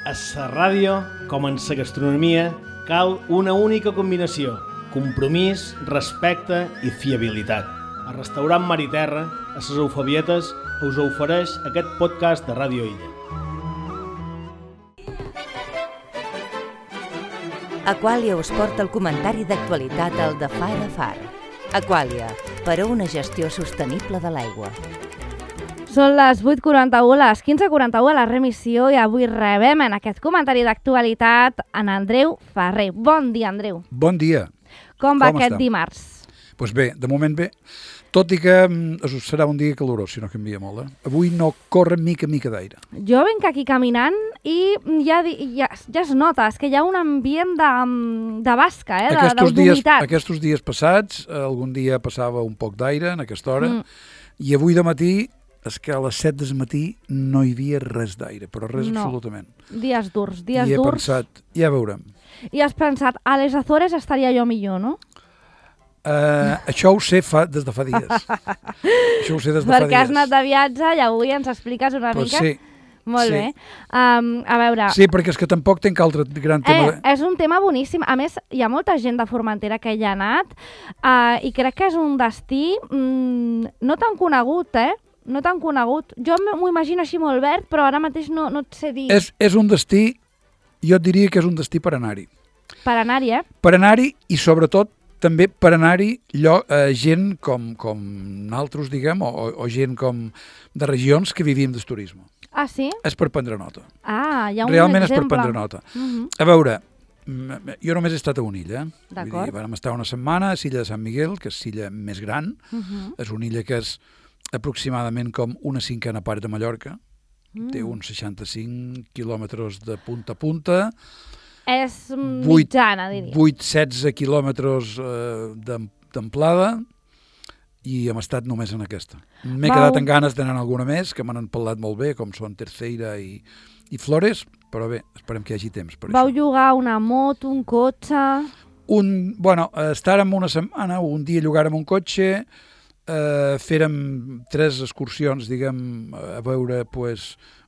A la ràdio, com en la gastronomia, cal una única combinació: compromís, respecte i fiabilitat. El restaurant Mar i Terra, a les Eufebietes, us ofereix aquest podcast de Ràdio Illa. Aquàlia us porta el comentari d'actualitat al de Far a Far. Aquàlia, per a una gestió sostenible de l'aigua. Són les 8:41, les 15:41 a la remissió i avui rebem en aquest comentari d'actualitat en Andreu Ferrer. Bon dia, Andreu. Bon dia. Com va aquest dimarts? Doncs bé, de moment bé. Tot i que serà un dia calorós, si no canvia molt. Avui no corre mica d'aire. Jo venc aquí caminant i ja es nota, és que hi ha un ambient de basca, d'humitat. Aquests dies passats, algun dia passava un poc d'aire en aquesta hora, i avui de matí és que a les 7 del matí no hi havia res d'aire, però res absolutament. Dies durs. I he pensat, ja veurem. I has pensat, a les Azores estaria jo millor, no? Això ho sé des de fa dies. Perquè has anat de viatge i avui ens expliques una mica. Sí. Molt bé. A veure... Sí, perquè és que tampoc tenc altre gran tema. És un tema boníssim. A més, hi ha molta gent de Formentera que hi ha anat i crec que és un destí no tan conegut, No tan conegut. Jo m'ho imagino així molt verd, però ara mateix no et sé dir. És un destí, jo et diria que és un destí per anar-hi. Per anar-hi, Per anar-hi i sobretot també per anar-hi gent com nosaltres, diguem, o gent com de regions que vivim del turisme. Ah, sí? És per prendre nota. Ah, hi ha un Realment exemple. És per prendre nota. A veure, jo només he estat a una illa. D'acord. Vam estar una setmana a l'illa de Sant Miguel, que és l'illa més gran. És una illa que és aproximadament com una cinquena part de Mallorca. Té uns 65 quilòmetres de punta a punta. És mitjana, diria. 8-16 quilòmetres d'amplada i hem estat només en aquesta. M'he quedat amb ganes d'anar alguna més, que m'han parlat molt bé, com són Terceira i Flores, però bé, esperem que hi hagi temps per això. Vau llogar una moto, un cotxe... Estàrem una setmana, un dia llogàrem un cotxe, fèrem 3 excursions, diguem, a veure,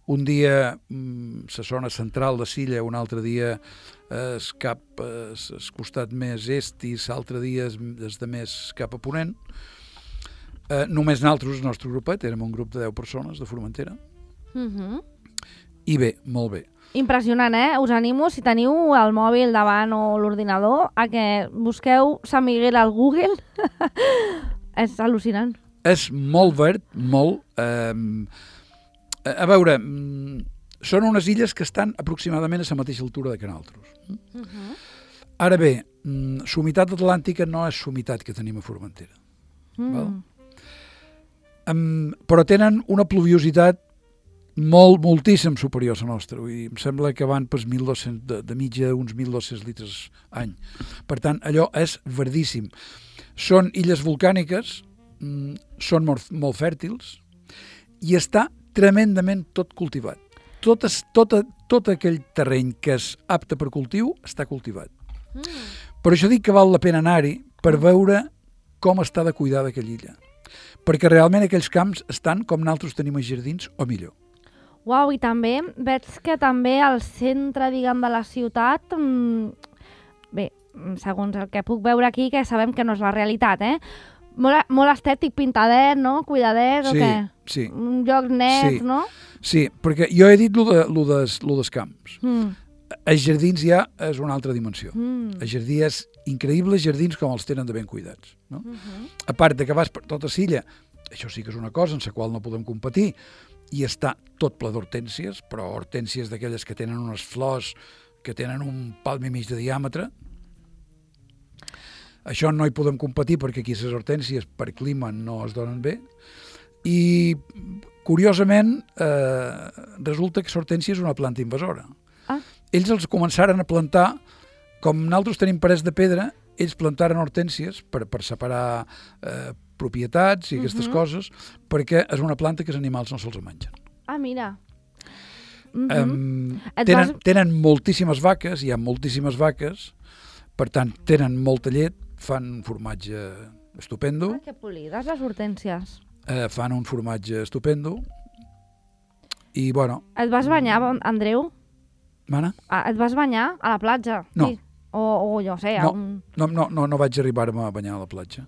un dia la zona central de l'illa, un altre dia el costat més est i l'altre dia des de més cap a ponent. Només nosaltres, el nostre grupet, érem un grup de 10 persones de Formentera. I bé, molt bé. Impressionant, Us animo, si teniu el mòbil davant o l'ordinador, a que busqueu Sant Miguel al Google. És al·lucinant. És molt verd, molt. A veure, són unes illes que estan aproximadament a la mateixa altura que nosaltres. Ara bé, la humitat atlàntica no és la humitat que tenim a Formentera. Però tenen una pluviositat moltíssim superior a la nostra. Em sembla que van per 1.200, de mitja uns 1.200 litres any. Per tant, allò és verdíssim. Són illes volcàniques, són molt fèrtils i està tremendament tot cultivat. Tot aquell terreny que és apte per cultiu està cultivat. Per això dic que val la pena anar-hi per veure com està de cuidada aquella illa. Perquè realment aquells camps estan com nosaltres tenim els jardins o millor. Uau, i també veig que també al centre, diguem, de la ciutat, bé, segons el que puc veure aquí, que sabem que no és la realitat, molt estètic, pintadet, no? Cuidadet, o què? Sí. Un lloc net, no? Sí, perquè jo he dit lo dels camps. Els jardins ja és una altra dimensió. Els jardins increïbles jardins com els tenen de ben cuidats. No? A part de que vas per tota l'illa, això sí que és una cosa en la qual no podem competir, i està tot ple d'hortències, però hortències d'aquelles que tenen unes flors que tenen un palm i mig de diàmetre. Això no hi podem competir perquè aquí les hortències per clima no es donen bé. I, curiosament, resulta que l'hortènsia és una planta invasora. Ells els començaren a plantar, com nosaltres tenim parets de pedra, ells plantaren hortències per separar propietats i aquestes coses, perquè és una planta que els animals no se'ls mengen. Ah, mira. Tenen moltíssimes vaques, hi ha moltíssimes vaques, per tant, tenen molta llet, fan un formatge estupendo. Que polides, les hortències. Fan un formatge estupendo. I, bueno... Et vas banyar, Andreu? Mana? Et vas banyar a la platja? No. Sí. O jo sé, No vaig arribar-me a banyar a la platja.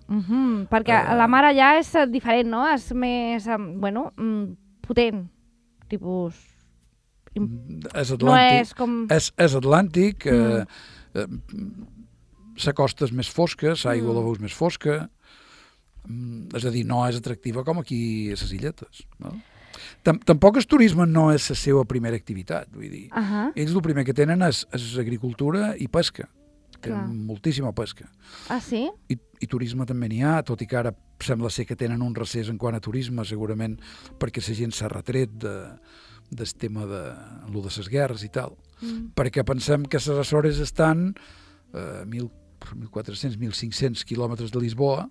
Perquè la mar allà és diferent, no? És més, potent, tipus... És Atlàntic. No és com... És Atlàntic, la costa és més fosca, l'aigua la veus més fosca, és a dir, no és atractiva com aquí a les illetes. No? Tampoc el turisme no és la seva primera activitat, vull dir. Ells el primer que tenen és agricultura i pesca. Tenen moltíssima pesca. Ah, sí? I turisme també n'hi ha, tot i que ara sembla ser que tenen un recés en quant a turisme, segurament perquè la gent s'ha retret del tema de les guerres i tal. Perquè pensem que les Açores estan 1.400, 1.500 quilòmetres de Lisboa,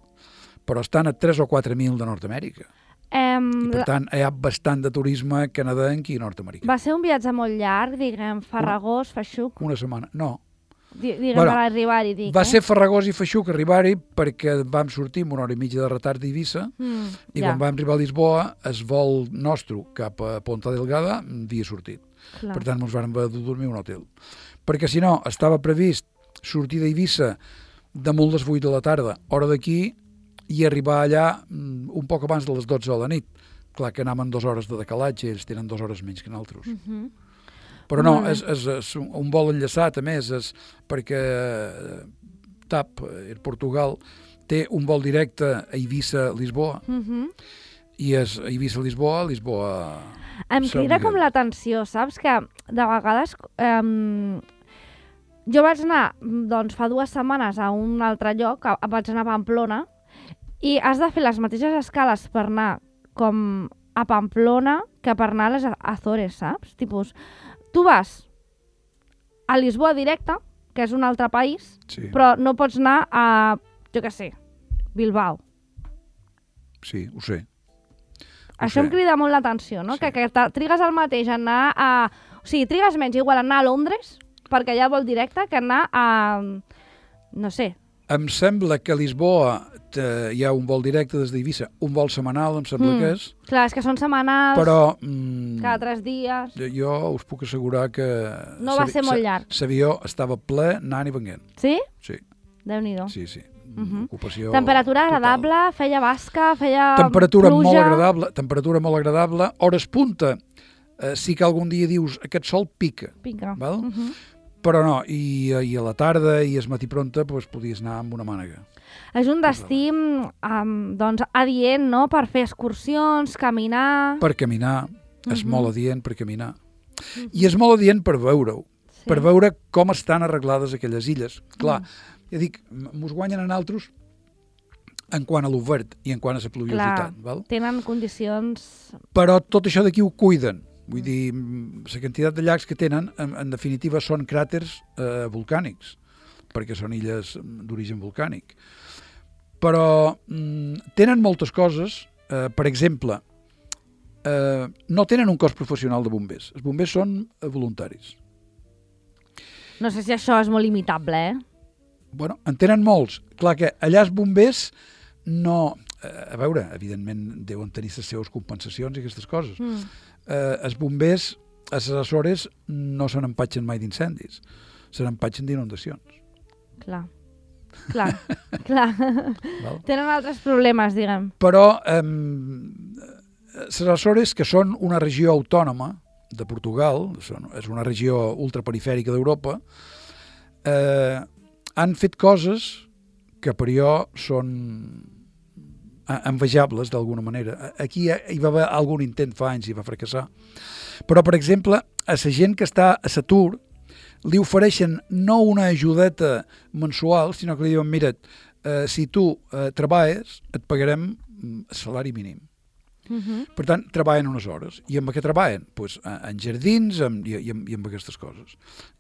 però estan a 3 o 4.000 de Nord-Amèrica. I per tant, hi ha bastant de turisme canadenc i nord-americà. Va ser un viatge molt llarg, diguem, Farragós, Feixuc? Una setmana, no. Diguem, per arribar-hi, dic. Va ser Farragós i Feixuc arribar-hi perquè vam sortir amb 1 hora i mitja de retard d'Eivissa i quan vam arribar a Lisboa, el vol nostre cap a Ponta Delgada havia sortit. Per tant, ens vam haver de dormir a un hotel. Perquè si no, estava previst sortir d'Eivissa damunt les 8 de la tarda, hora d'aquí, i arribar allà un poc abans de les 12 de la nit. Clar que anàvem 2 hores de decalatge, ells tenen 2 hores menys que nosaltres. Però no, és un vol enllaçat, a més, perquè TAP, Portugal, té un vol directe a Eivissa-Lisboa, i és Eivissa-Lisboa, Lisboa... Em crida com l'atenció, saps? Que de vegades... Jo vaig anar, doncs, fa 2 setmanes a un altre lloc, vaig anar a Pamplona, i has de fer les mateixes escales per anar com a Pamplona que per anar a les Azores, saps? Tipus, tu vas a Lisboa directe, que és un altre país, però no pots anar a, jo què sé, Bilbao. Sí, ho sé. Això em crida molt l'atenció, no? Que trigues el mateix a anar a... O sigui, trigues menys igual a anar a Londres, perquè allà vol directe, que anar a... no sé. Em sembla que a Lisboa hi ha un vol directe des d'Eivissa, un vol setmanal, em sembla que és. Clar, és que són setmanals, però, cada 3 dies... Jo us puc assegurar que... No va ser molt llarg. L'avió estava ple anant i venint. Sí? Sí. Déu-n'hi-do. Sí. Ocupació temperatura agradable, total. Feia basca, feia temperatura pluja... Temperatura molt agradable. Hores punta, sí que algun dia dius aquest sol pica. Val? Però no, i a la tarda i al matí pronta podies anar amb una mànega. És un destí doncs, adient, no?, per fer excursions, caminar... Per caminar, és molt adient per caminar. I és molt adient per veure-ho, per veure com estan arreglades aquelles illes. Clar, ja dic, mos guanyen a nosaltres en quant a l'obert i en quant a la pluviositat. Clar, tenen condicions... Però tot això d'aquí ho cuiden. Vull dir, la quantitat de llacs que tenen, en definitiva, són cràters volcànics, perquè són illes d'origen volcànic. Però tenen moltes coses. Per exemple, no tenen un cos professional de bombers. Els bombers són voluntaris. No sé si això és molt limitable, Bueno, en tenen molts. Clar que allà els bombers no... A veure, evidentment, deuen tenir les seves compensacions i aquestes coses. Els bombers a les Açores no se n'empatxen mai d'incendis, se n'empatxen d'inundacions. Clar. Tenen altres problemes, diguem. Però les Açores, que són una regió autònoma de Portugal, és una regió ultraperifèrica d'Europa, han fet coses que per jo són envejables d'alguna manera. Aquí hi va haver algun intent fa anys i va fracassar. Però, per exemple, a la gent que està a l'atur li ofereixen no una ajudeta mensual, sinó que li diuen, mira, si tu treballes, et pagarem el salari mínim. Per tant, treballen unes hores. I amb què treballen? Pues, en jardins i amb aquestes coses.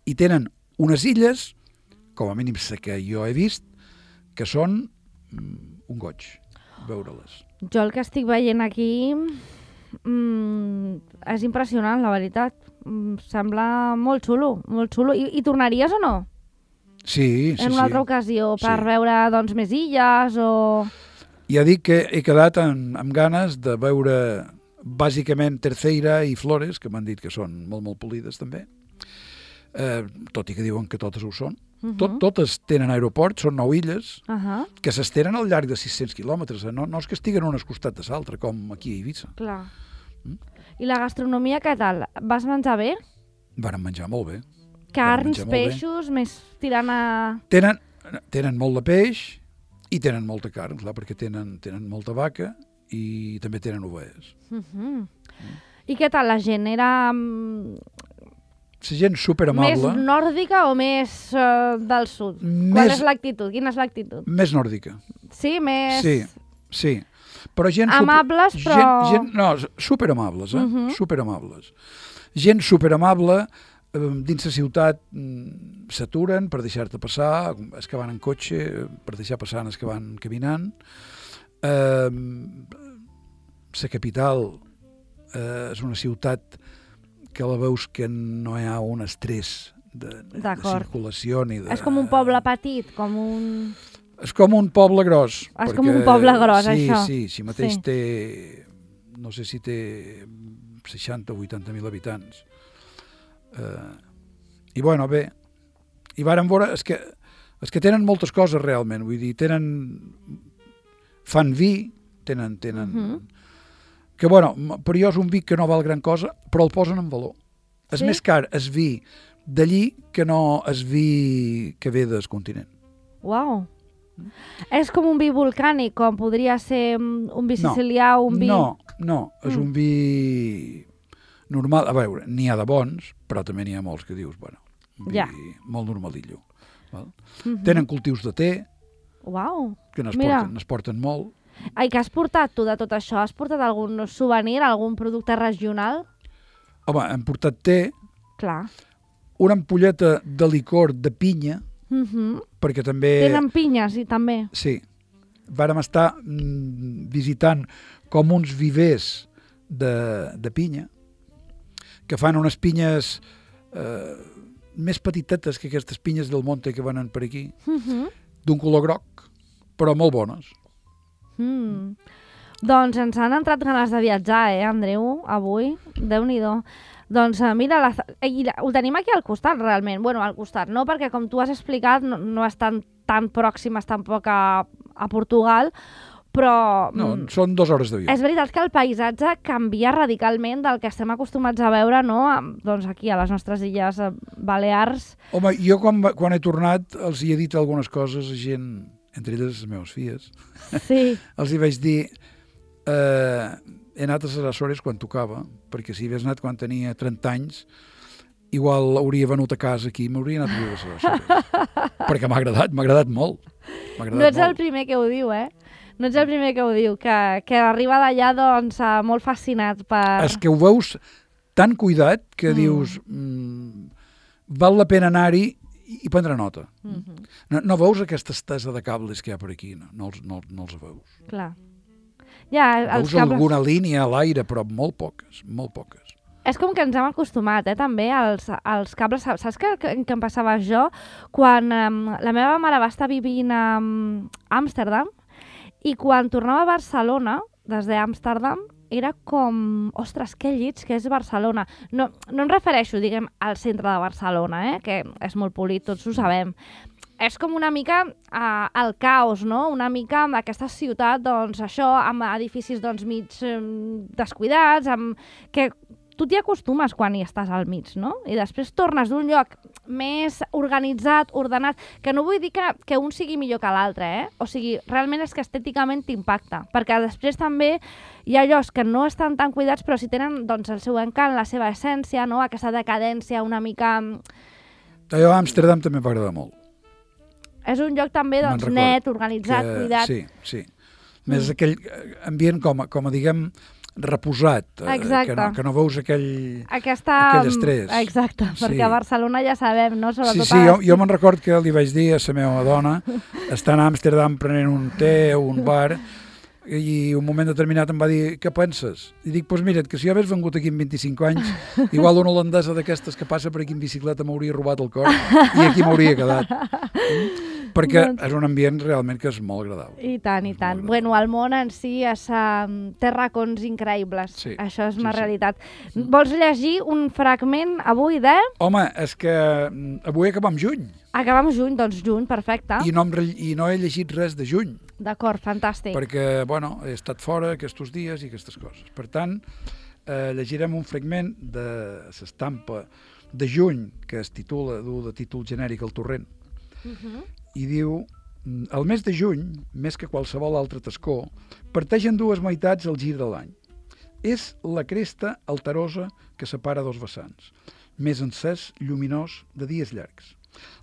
I tenen unes illes, com a mínim la que jo he vist, que són un goig veure-les. Jo el que estic veient aquí és impressionant, la veritat. Sembla molt xulo, molt xulo. I tornaries o no? Sí. En una altra ocasió, per veure doncs, més illes o... Ja dic que he quedat amb ganes de veure bàsicament Terceira i Flores, que m'han dit que són molt, molt polides també. tot i que diuen que totes ho són. Totes tenen aeroport, són 9 illes, que s'estenen al llarg de 600 quilòmetres. No és que estiguen unes costat de l'altre, com aquí a Eivissa. Clar. I la gastronomia, què tal? Vas menjar bé? Varen menjar molt bé. Carns, peixos, més tirant a... Tenen molt de peix i tenen molta carn, clar, perquè tenen molta vaca i també tenen ovelles. I què tal la gent? Era... La gent superamable. Més nòrdica o més del sud? Quina és l'actitud? Més nòrdica. Sí, més... Sí. Però gent amables, però... No, superamables, superamables. Gent superamable, dins la ciutat s'aturen per deixar-te passar, els que van en cotxe, per deixar passar els que van caminant. La capital és una ciutat que la veus que no hi ha un estrès de circulació ni de... És com un poble petit, com un... És com un poble gros. És com un poble gros, això. Sí, mateix té... No sé si té 60 o 80.000 habitants. I bueno, bé. I vàrem veure... És que tenen moltes coses realment, vull dir, fan vi, tenen... Que, bueno, per jo és un vi que no val gran cosa, però el posen en valor. És més car el vi d'allí que no el vi que ve del continent. Uau! És com un vi volcànic, com podria ser un vi sicilià o un vi... No, és un vi normal. A veure, n'hi ha de bons, però també n'hi ha molts que dius, bueno, un vi molt normalillo. Tenen cultius de te, que n'es porten molt. I què has portat tu de tot això? Has portat algun souvenir, algun producte regional? Home, hem portat te, una ampolleta de licor de pinya, perquè també... Tenen pinyes, també? Sí. Vàrem estar visitant com uns vivers de pinya, que fan unes pinyes més petitetes que aquestes pinyes del monte que venen per aquí, d'un color groc, però molt bones. Doncs ens han entrat ganes de viatjar, Andreu, avui? Déu-n'hi-do. Doncs mira, ho tenim aquí al costat, realment. Bueno, al costat, no? Perquè com tu has explicat, no estan tan pròximes tampoc a Portugal, però... No, són 2 hores de viatge. És veritat que el paisatge canvia radicalment del que estem acostumats a veure, no? Doncs aquí, a les nostres illes Balears. Home, jo quan he tornat els hi he dit algunes coses a gent... entre elles les meves filles, els hi vaig dir he anat a les Açores quan tocava, perquè si hagués anat quan tenia 30 anys, igual hauria venut a casa aquí i m'hauria anat a viure a les Açores. Perquè m'ha agradat molt. No ets el primer que ho diu, No ets el primer que ho diu, que arriba d'allà doncs molt fascinat per... És que ho veus tan cuidat que dius val la pena anar-hi i prendre nota. No veus aquesta estesa de cables que hi ha per aquí, no els veus. Clar. Veus alguna línia a l'aire, però molt poques. És com que ens hem acostumat, també, als cables. Saps què em passava jo? Quan la meva mare va estar vivint a Amsterdam i quan tornava a Barcelona, des d'Amsterdam, era com, ostres, que llits que és Barcelona. No em refereixo, diguem, al centre de Barcelona, que és molt polit, tots ho sabem. És com una mica el caos, no? Una mica aquesta ciutat, doncs, això, amb edificis doncs, mig descuidats, que tu t'hi acostumes quan hi estàs al mig, no? I després tornes d'un lloc més organitzat, ordenat, que no vull dir que un sigui millor que l'altre, O sigui, realment és que estèticament t'impacta, perquè després també hi ha llocs que no estan tan cuidats, però si tenen doncs, el seu encant, la seva essència, no? Aquesta decadència una mica... Allò a Amsterdam també m'ha agradat molt. És un lloc també doncs, net, organitzat, cuidat. Sí. Més aquell ambient com a diguem, reposat, que no veus aquell estrès. Exacte, perquè a Barcelona ja sabem, no? Sí, jo me'n record que li vaig dir a la meva dona, estant a Amsterdam prenent un te o un bar, i un moment determinat em va dir, què penses? I dic, doncs mira't, que si jo hagués vengut aquí en 25 anys, igual una holandesa d'aquestes que passa per aquí en bicicleta m'hauria robat el cor i aquí m'hauria quedat. perquè és un ambient realment que és molt agradable. I tant, i tant. Bueno, el món en si té racons increïbles. Sí, això és una sí. realitat. Vols llegir un fragment avui de... Home, és que avui acabem juny. Acabem juny, doncs juny, perfecte. I no he llegit res de juny. D'acord, fantàstic. Perquè, bueno, he estat fora aquests dies i aquestes coses. Per tant, llegirem un fragment de l'estampa de juny, que es titula, du de títol genèric El torrent, i diu: el mes de juny, més que qualsevol altre tascó, parteix en dues meitats al gir de l'any. És la cresta alterosa que separa dos vessants, més encès, lluminós, de dies llargs.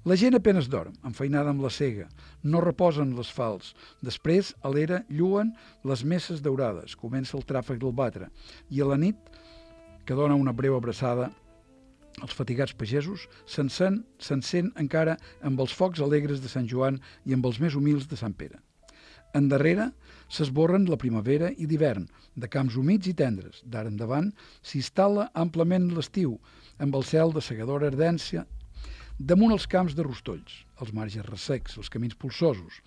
La gent apenes dorm, enfeinada amb la sega, no reposen les falç. Després, a l'era, lluen les messes daurades, comença el tràfic del batre, i a la nit, que dona una breu abraçada, els fatigats pagesos s'encén encara amb els focs alegres de Sant Joan i amb els més humils de Sant Pere. Endarrere s'esborren la primavera i l'hivern, de camps humits i tendres. D'ara endavant s'instal·la amplament l'estiu, amb el cel de segadora ardència, damunt els camps de rostolls, els marges ressecs, els camins polsosos.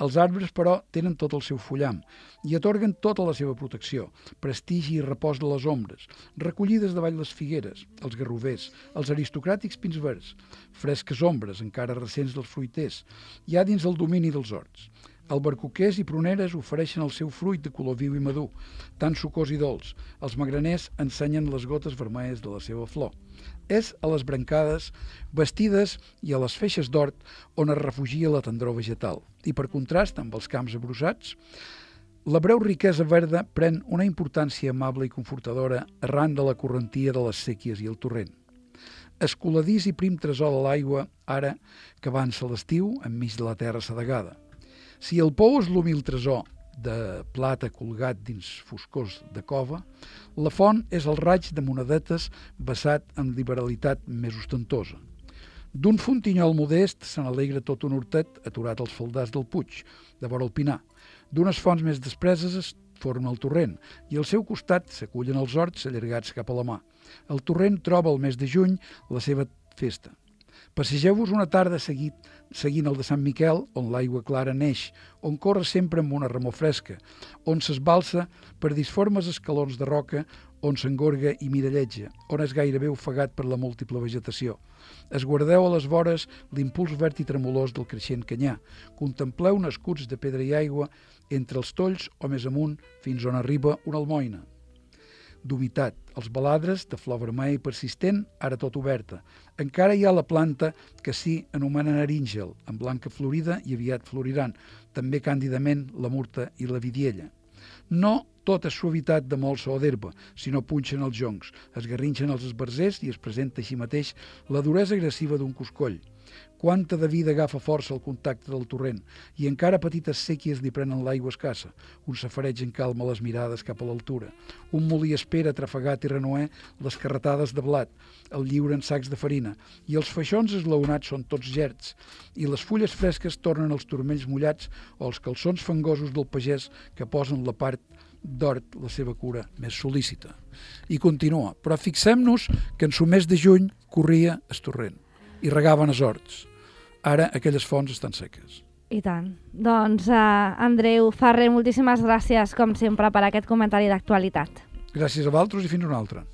Els arbres, però, tenen tot el seu fullam i atorguen tota la seva protecció, prestigi i repòs de les ombres, recollides davall les figueres, els garrovers, els aristocràtics pins verds, fresques ombres, encara recents dels fruiters, ja dins el domini dels horts. Albercoquers i pruneres ofereixen el seu fruit de color viu i madur, tan sucós i dolç. Els magraners ensenyen les gotes vermelles de la seva flor. És a les brancades, vestides i a les feixes d'hort on es refugia la tendror vegetal. I per contrast amb els camps abrossats, la breu riquesa verda pren una importància amable i confortadora arran de la correntia de les séquies i el torrent. Escoladís i prim tresor de l'aigua, ara que avança l'estiu enmig de la terra sedegada. Si el pou és l'humil tresor de plata colgat dins foscors de cova, la font és el raig de monedetes vessat amb liberalitat més ostentosa. D'un fontinyol modest se n'alegra tot un hortet aturat als faldars del Puig, de vora el Pinar. D'unes fonts més despreses es forma el torrent i al seu costat s'acullen els horts allargats cap a la mà. El torrent troba el mes de juny la seva festa. Passegeu-vos una tarda seguint el de Sant Miquel, on l'aigua clara neix, on corre sempre amb una remor fresca, on s'esbalsa per disformes escalons de roca, on s'engorga i miralletja, on és gairebé ofegat per la múltiple vegetació. Esguardeu a les vores l'impuls verd i tremolós del creixent canyar. Contempleu nascuts de pedra i aigua entre els tolls o més amunt fins on arriba una almoina d'humitat, els baladres de flor vermella i persistent, ara tot oberta. Encara hi ha la planta que s'hi anomena naríngel, amb blanca florida i aviat floriran, també càndidament la murta i la vidiella. No tot és suavitat de molsa o d'herba, sinó punxen els joncs, es garrinxen els esbarzers i es presenta així mateix la duresa agressiva d'un coscoll. Quanta de vida agafa força al contacte del torrent, i encara petites séquies li prenen l'aigua escassa. Un safareig en calma les mirades cap a l'altura. Un molí espera, trafegat i renoer, les carretades de blat, el lliuren sacs de farina, i els feixons esglaonats són tots gerds, i les fulles fresques tornen els turmells mullats o els calçons fangosos del pagès que posen la part d'hort la seva cura més sol·lícita. I continua, però fixem-nos que en su mes de juny corria el torrent i regaven els horts. Ara aquelles fonts estan seques. I tant. Doncs, Andreu Ferrer, moltíssimes gràcies, com sempre, per aquest comentari d'actualitat. Gràcies a vosaltres i fins una altra.